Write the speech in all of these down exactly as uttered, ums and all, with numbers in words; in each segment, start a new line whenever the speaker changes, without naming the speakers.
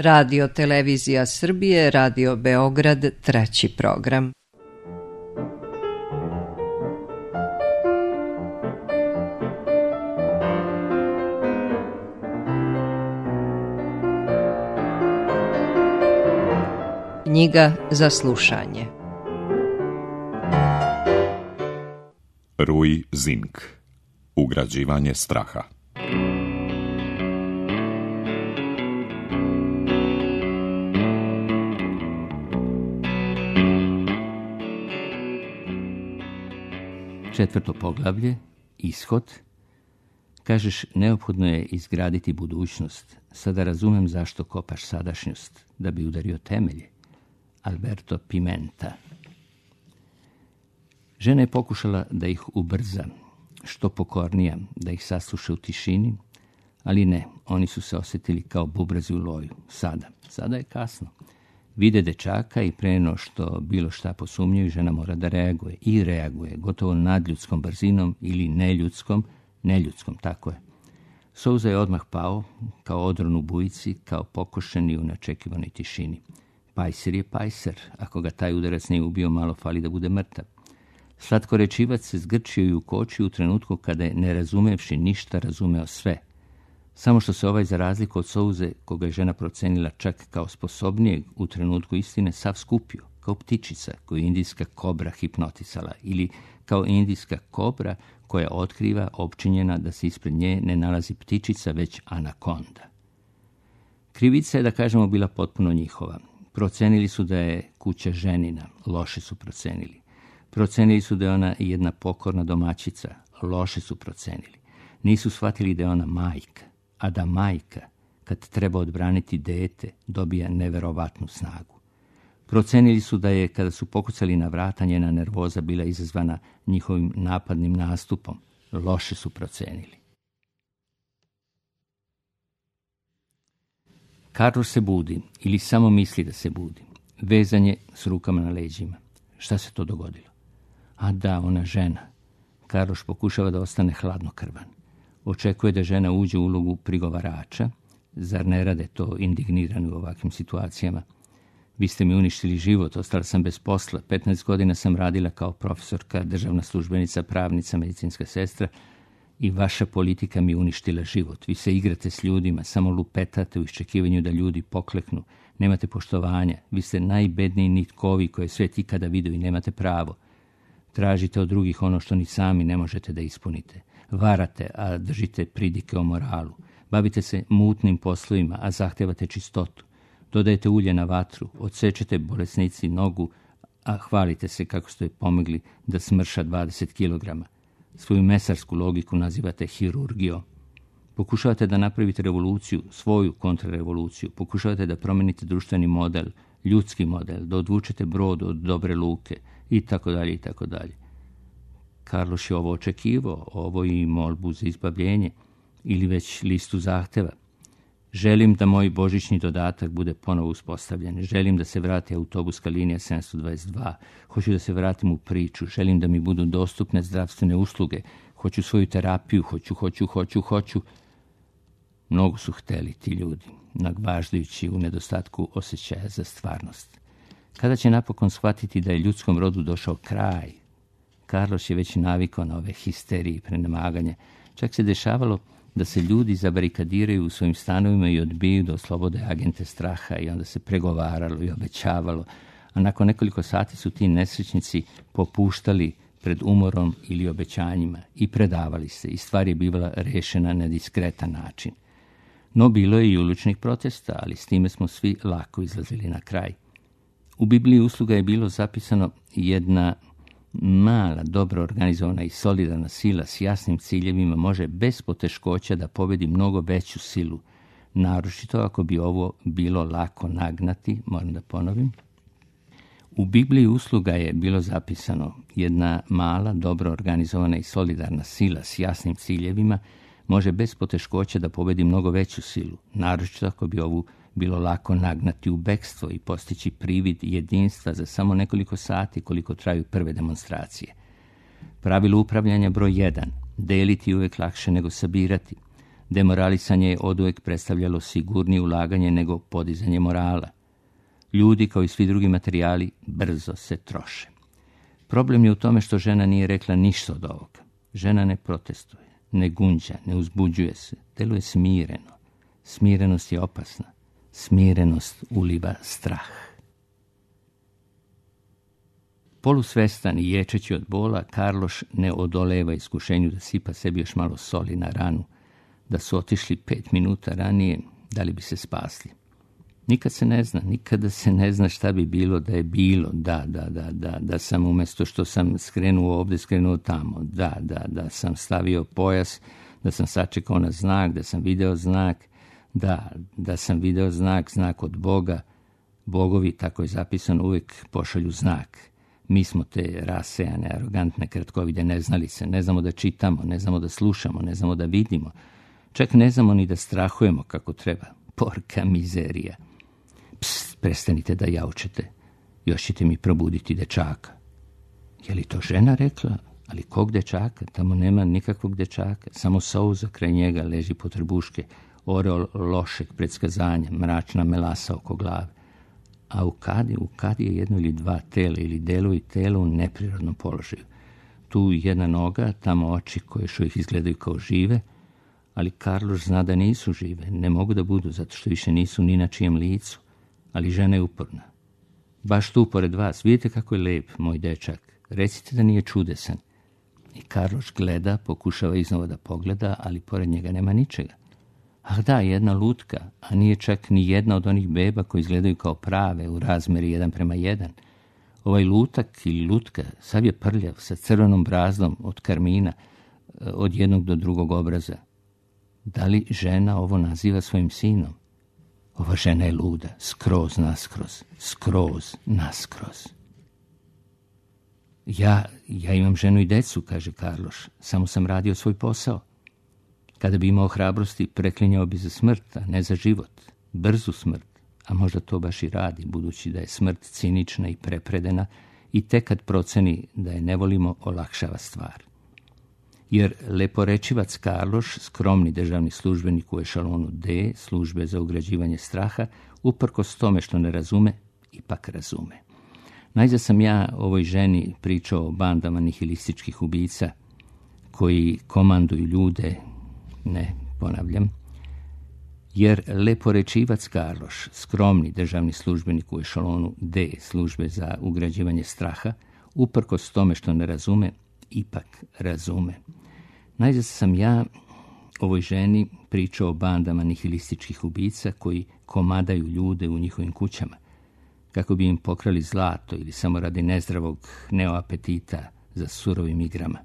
Radio Televizija Srbije, Radio Beograd, treći program. Knjiga za slušanje.
Rui Zink. Ugrađivanje straha.
Četvrto poglavlje, ishod. Kažeš, neophodno je izgraditi budućnost. Sada razumem zašto kopaš sadašnjost, da bi udario temelje. Alberto Pimenta. Žena je pokušala da ih ubrza, što pokornija, da ih sasluša u tišini, ali ne, oni su se osjetili kao bubrezi u loju. Sada, sada je kasno. Vide dečaka i pre no što bilo šta posumnjaju, žena mora da reaguje. I reaguje, gotovo nadljudskom brzinom ili neljudskom, neljudskom, tako je. Souza je odmah pao, kao odron u bujici, kao pokošeni u neočekivanoj tišini. Pajser je pajser, ako ga taj udarac nije ubio, malo fali da bude mrtav. Slatkorečivac se zgrčio i ukočio u trenutku kada je, ne razumevši ništa, razumeo sve. Samo što se ovaj, za razliku od Souze, koga je žena procenila čak kao sposobnijeg u trenutku istine, sav skupio, kao ptičica koju indijska kobra hipnotisala, ili kao indijska kobra koja otkriva opčinjena da se ispred nje ne nalazi ptičica, već anakonda. Krivica je, da kažemo, bila potpuno njihova. Procenili su da je kuća ženina, loše su procenili. Procenili su da je ona jedna pokorna domaćica, loše su procenili. Nisu shvatili da je ona majka, a da majka, kad treba odbraniti dete, dobija neverovatnu snagu. Procenili su da je, kada su pokucali na vrata, njena nervoza bila izazvana njihovim napadnim nastupom, loše su procenili. Carlos se budi, ili samo misli da se budi. Vezan je s rukama na leđima. Šta se to dogodilo? A da, ona žena. Carlos pokušava da ostane hladnokrvan. Očekuje da žena uđe u ulogu prigovarača. Zar ne rade to indignirani u ovakvim situacijama? Vi ste mi uništili život, ostala sam bez posla. petnaest godina sam radila kao profesorka, državna službenica, pravnica, medicinska sestra i vaša politika mi uništila život. Vi se igrate s ljudima, samo lupetate u iščekivanju da ljudi pokleknu. Nemate poštovanja. Vi ste najbedniji nitkovi koje svet ikada vidio i nemate pravo. Tražite od drugih ono što ni sami ne možete da ispunite. Varate, a držite pridike o moralu. Bavite se mutnim poslovima, a zahtevate čistotu. Dodajete ulje na vatru, odsečete bolesnici nogu, a hvalite se kako ste joj pomogli da smrša dvadeset kilograma. Svoju mesarsku logiku nazivate hirurgijom. Pokušavate da napravite revoluciju, svoju kontrarevoluciju. Pokušavate da promenite društveni model, ljudski model, da odvučete brod od dobre luke i tako dalje i tako dalje. Carlos je ovo očekivao, ovo i molbu za izbavljenje ili već listu zahteva. Želim da moj božićni dodatak bude ponovo uspostavljen. Želim da se vrati autobuska linija sedamsto dvadeset dva. Hoću da se vratim u priču. Želim da mi budu dostupne zdravstvene usluge. Hoću svoju terapiju. Hoću, hoću, hoću, hoću. Mnogo su hteli ti ljudi, nagvaždajući u nedostatku osjećaja za stvarnost. Kada će napokon shvatiti da je ljudskom rodu došao kraj? Carlos je već navikao na ove histerije i prenemaganje. Čak se dešavalo da se ljudi zabarikadiraju u svojim stanovima i odbiju da oslobode agente straha i onda se pregovaralo i obećavalo. A nakon nekoliko sati su ti nesrećnici popuštali pred umorom ili obećanjima i predavali se i stvar je bivala rešena na diskretan način. No bilo je i uličnih protesta, ali s time smo svi lako izlazili na kraj. U Bibliji usluga je bilo zapisano jedna mala, dobro organizovana i solidarna sila s jasnim ciljevima može bez poteškoća da pobedi mnogo veću silu, naročito ako bi ovo bilo lako nagnati, moram da ponovim. U Bibliji usluga je bilo zapisano jedna mala, dobro organizovana i solidarna sila s jasnim ciljevima može bez poteškoća da pobedi mnogo veću silu, naročito ako bi ovu bilo lako nagnati u bekstvo i postići privid jedinstva za samo nekoliko sati koliko traju prve demonstracije. Pravilo upravljanja broj jedan. Deliti je uvijek lakše nego sabirati. Demoralisanje je oduvek predstavljalo sigurnije ulaganje nego podizanje morala. Ljudi, kao i svi drugi materijali, brzo se troše. Problem je u tome što žena nije rekla ništa od ovoga. Žena ne protestuje, ne gunđa, ne uzbuđuje se, deluje smireno. Smirenost je opasna. Smirenost uliva strah. Polusvestan i ječeći od bola, Karloš ne odoleva iskušenju da sipa sebi još malo soli na ranu. Da su otišli pet minuta ranije, da li bi se spasli? Nikad se ne zna, nikada se ne zna šta bi bilo da je bilo, da, da, da, da, da sam umjesto što sam skrenuo ovdje, skrenuo tamo, da, da, da sam stavio pojas, da sam sačekao na znak, da sam video znak, da, da sam video znak, znak od Boga. Bogovi, tako je zapisano, uvijek pošalju znak. Mi smo te rasejane, arogantne kratkovide neznalice, ne znamo da čitamo, ne znamo da slušamo, ne znamo da vidimo, čak ne znamo ni da strahujemo kako treba. Porka mizerija. Pst, prestanite da jaučete, još ćete mi probuditi dečaka. Je li to žena rekla? Ali kog dečaka? Tamo nema nikakvog dečaka, samo souza kraj njega leži potrbuške, oreol lošeg predskazanja, mračna melasa oko glave. A u kadi, u kadi je jedno ili dva tela ili delovi tela u neprirodnom položaju. Tu jedna noga, tamo oči koje još uvijek izgledaju kao žive, ali Karloš zna da nisu žive, ne mogu da budu, zato što više nisu ni na čijem licu, ali žena je uporna. Baš tu pored vas, vidite kako je lep, moj dečak, recite da nije čudesan. I Karloš gleda, pokušava iznova da pogleda, ali pored njega nema ničega. Ah da, jedna lutka, a nije čak ni jedna od onih beba koji izgledaju kao prave u razmeri jedan prema jedan. Ovaj lutak ili lutka sav je prljav sa crvenom brazdom od karmina, od jednog do drugog obraza. Da li žena ovo naziva svojim sinom? Ova žena je luda, skroz naskroz, skroz naskroz. Ja, ja imam ženu i decu, kaže Karloš, samo sam radio svoj posao. Kada bi imao hrabrosti, preklinjao bi za smrt, a ne za život, brzu smrt, a možda to baš i radi, budući da je smrt cinična i prepredena i tek kad proceni da je ne volimo, olakšava stvar. Jer leporečivac Karloš, skromni državni službenik u ešalonu D, službe za ugrađivanje straha, uprkos tome što ne razume, ipak razume. Najzad sam ja ovoj ženi pričao o bandama nihilističkih ubica koji komanduju ljude, ne, ponavljam, jer leporečivac Karloš, skromni državni službenik u ešalonu D, službe za ugrađivanje straha, uprkos tome što ne razume, ipak razume. Najzad sam ja ovoj ženi pričao o bandama nihilističkih ubica koji komadaju ljude u njihovim kućama, kako bi im pokrali zlato ili samo radi nezdravog neoapetita za surovim igrama.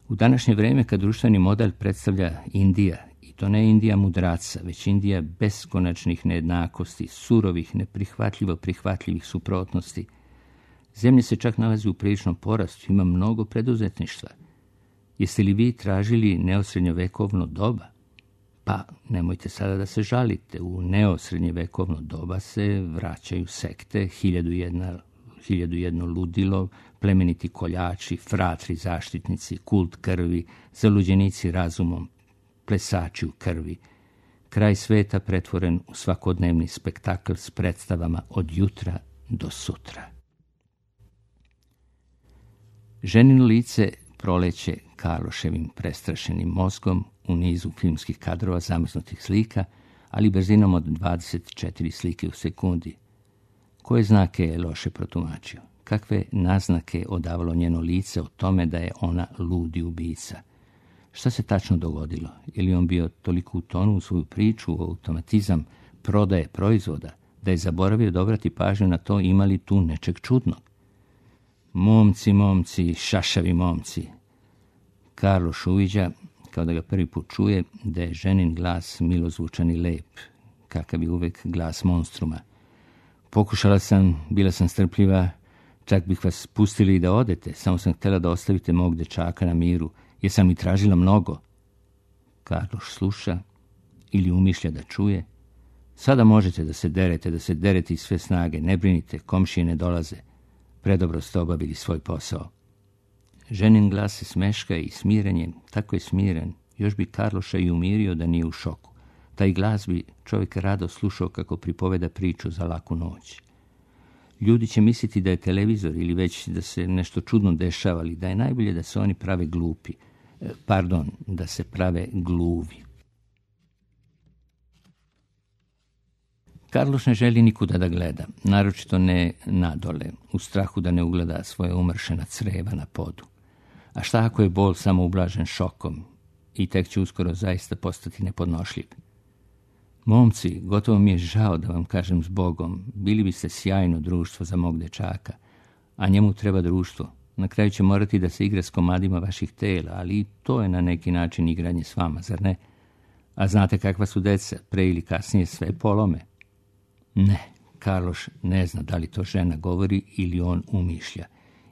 U današnje vrijeme, kad društveni model predstavlja Indija, i to ne Indija mudraca, već Indija beskonačnih nejednakosti, surovih, neprihvatljivo prihvatljivih suprotnosti, zemlja se čak nalazi u priličnom porastu, ima mnogo preduzetništva. Jeste li vi tražili neosrednjovekovno doba? Pa nemojte sada da se žalite, u neosrednjevekovno doba se vraćaju sekte, hiljadu jedna, hiljadu jedno ludilo, plemeniti koljači, fratri zaštitnici, kult krvi, zaluđenici razumom, plesači u krvi. Kraj sveta pretvoren u svakodnevni spektakl s predstavama od jutra do sutra. Ženino lice proleće Karloševim prestrašenim mozgom u nizu filmskih kadrova zamrznutih slika, ali brzinom od dvadeset četiri slike u sekundi. Koje znake je loše protumačio? Kakve naznake odavalo njeno lice o tome da je ona ludi ubica? Šta se tačno dogodilo? Je li on bio toliko utonu u svoju priču, u automatizam prodaje proizvoda, da je zaboravio da obrati pažnju na to ima li tu nečeg čudnog? Momci, momci, šašavi momci. Karloš uviđa, kao da ga prvi put čuje, da je ženin glas milozvučan i lep, kakav je uvek glas monstruma. Pokušala sam, bila sam strpljiva, čak bih vas pustili i da odete, samo sam htjela da ostavite mog dečaka na miru, jer sam mi tražila mnogo. Karloš sluša ili umišlja da čuje. Sada možete da se derete, da se derete iz sve snage, ne brinite, komšije ne dolaze. Predobro ste obavili svoj posao. Ženin glas se smeška i smiren je, tako je smiren, Još bi Karloša i umirio da nije u šoku. Taj glas bi čovjek rado slušao kako pripoveda priču za laku noć. Ljudi će misliti da je televizor ili već da se nešto čudno dešava, ali da je najbolje da se oni prave glupi. Pardon, da se prave gluvi. Karloš ne želi nikuda da gleda, naročito ne nadole, u strahu da ne ugleda svoje umršena creva na podu. A šta ako je bol samo ublažen šokom i tek će uskoro zaista postati nepodnošljiv? Momci, gotovo mi je žao da vam kažem zbogom, bili biste sjajno društvo za mog dečaka, a njemu treba društvo. Na kraju će morati da se igra s komadima vaših tela, ali i to je na neki način igranje s vama, zar ne? A znate kakva su deca, pre ili kasnije sve polome. Ne, Karloš ne zna da li to žena govori ili on umišlja.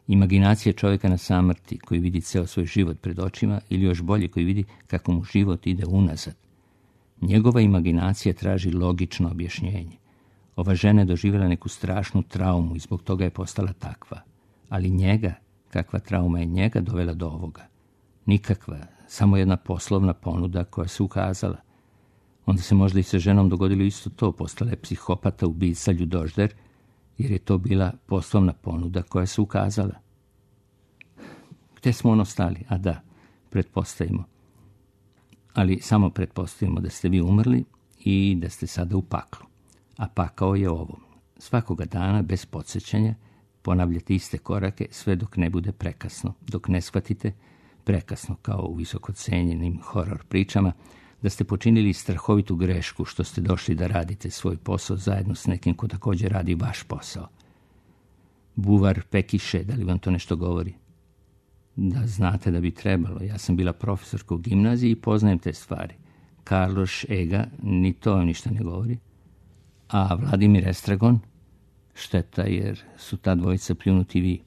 Imaginacija čovjeka na samrti koji vidi ceo svoj život pred očima ili još bolje koji vidi kako mu život ide unazad. Njegova imaginacija traži logično objašnjenje. Ova žena je doživjela neku strašnu traumu i zbog toga je postala takva. Ali njega, kakva trauma je njega dovela do ovoga? Nikakva, samo jedna poslovna ponuda koja se ukazala. Onda se možda i sa ženom dogodilo isto to, postala je psihopata, ubica, ljudožder, jer je to bila poslovna ponuda koja se ukazala. Gde smo ono stali? A da, pretpostavimo. Ali samo pretpostavimo da ste vi umrli i da ste sada u paklu. A pakao je ovo. Svakoga dana, bez podsjećanja, ponavljate iste korake sve dok ne bude prekasno. Dok ne shvatite, prekasno kao u visokocenjenim horor pričama, da ste počinili strahovitu grešku što ste došli da radite svoj posao zajedno s nekim ko također radi vaš posao. Buvar Pekiše, da li vam to nešto govori? Da, znate da bi trebalo. Ja sam bila profesorka u gimnaziji i poznajem te stvari. Karloš Ega, ni to ništa ne govori. A Vladimir Estragon? Šteta, jer su ta dvojica pljunuti vi.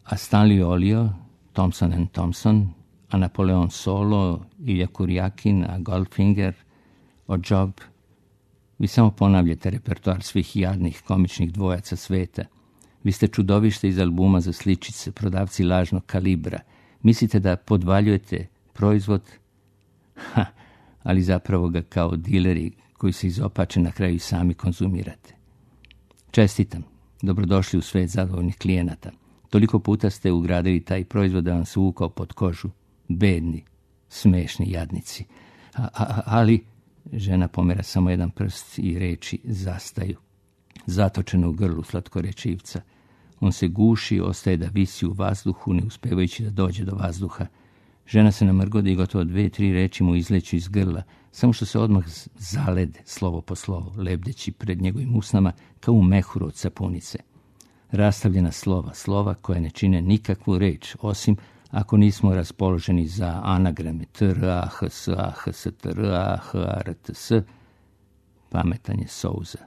A Stanley Olio, Thompson and Thompson, a Napoleon Solo, Ilja Kurjakin, a Goldfinger, o Job. Vi samo ponavljate repertoar svih jadnih komičnih dvojaca sveta. Vi ste čudovište iz albuma za sličice, prodavci lažnog kalibra. Mislite da podvaljujete proizvod? Ha, ali zapravo ga kao dileri koji se izopače na kraju sami konzumirate. Čestitam, dobrodošli u svet zadovoljnih klijenata. Toliko puta ste ugradili taj proizvod da vam se uvukao pod kožu. Bedni, smešni jadnici. A, a, ali, žena pomera samo jedan prst i reči zastaju. Zatočeno u grlu slatkorečivca. On se guši, ostaje da visi u vazduhu, ne uspevajući da dođe do vazduha. Žena se namrgodi i gotovo dve, tri reči mu izleću iz grla, samo što se odmah zalede, slovo po slovo, lebdeći pred njegovim usnama kao u mehuru od sapunice. Rastavljena slova, slova koje ne čine nikakvu reč, osim ako nismo raspoloženi za anagrame T R A H S A H S T R A H A R T S. Pametan je Souza,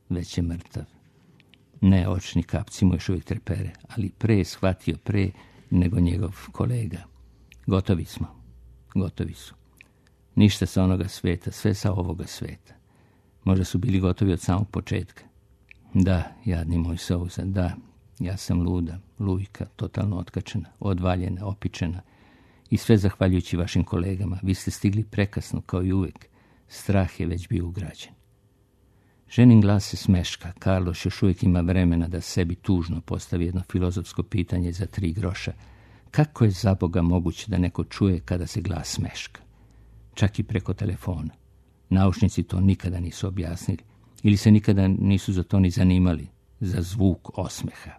već je mrtav. Ne, očni kapci mu još uvijek trepere, ali pre je shvatio pre nego njegov kolega. Gotovi smo, gotovi su. Ništa sa onoga sveta, sve sa ovoga sveta. Možda su bili gotovi od samog početka. Da, jadni moj Souza, da, ja sam luda, lujka, totalno otkačena, odvaljena, opičena. I sve zahvaljujući vašim kolegama. Vi ste stigli prekasno, kao i uvijek. Strah je već bio ugrađen. Ženin glas se smeška. Karloš još uvijek ima vremena da sebi tužno postavi jedno filozofsko pitanje za tri groša. Kako je za Boga moguće da neko čuje kada se glas smeška? Čak i preko telefona. Naučnici to nikada nisu objasnili. Ili se nikada nisu za to ni zanimali. Za zvuk osmeha.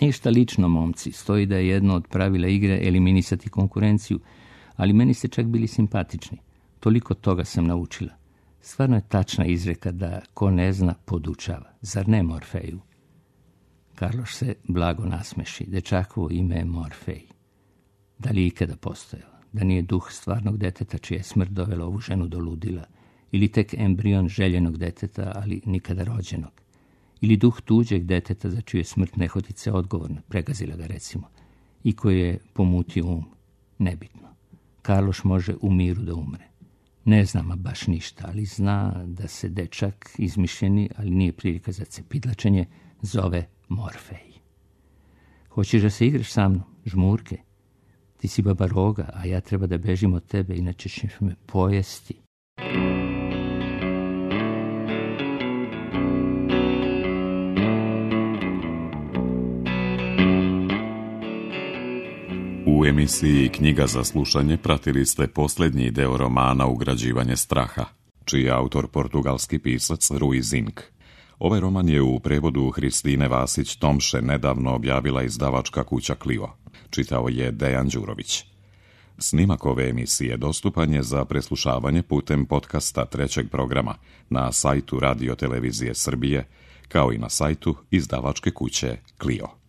Ništa lično, momci. Stoji da je jedno od pravila igre eliminisati konkurenciju, ali meni ste čak bili simpatični. Toliko toga sam naučila. Stvarno je tačna izreka da ko ne zna, podučava. Zar ne, Morfeju? Karloš se blago nasmeši. Dečakovo ime je Morfej. Da li je ikada postojao? Da nije duh stvarnog deteta čija je smrt dovela ovu ženu do ludila? Ili tek embrion željenog deteta, ali nikada rođenog? Ili duh tuđeg deteta za čiju je smrt nehotice odgovorna, pregazila ga recimo, i koji je pomutio um? Nebitno. Karloš može u miru da umre. Ne znam baš ništa, ali zna da se dečak izmišljeni, ali nije prilika za cepidlačenje, zove Morfej. Hoćeš da se igraš sa mnom? Žmurke? Ti si baba roga, a ja treba da bežim od tebe, inače ćeš me pojesti.
U emisiji Knjiga za slušanje pratili ste posljednji deo romana Ugrađivanje straha, čiji je autor portugalski pisac Rui Zinck. Ovaj roman je u prevodu Hristine Vasić-Tomše nedavno objavila izdavačka kuća Clio. Čitao je Dejan Đurović. Snimak ove emisije dostupan je za preslušavanje putem podcasta trećeg programa na sajtu Radio Televizije Srbije, kao i na sajtu izdavačke kuće Clio.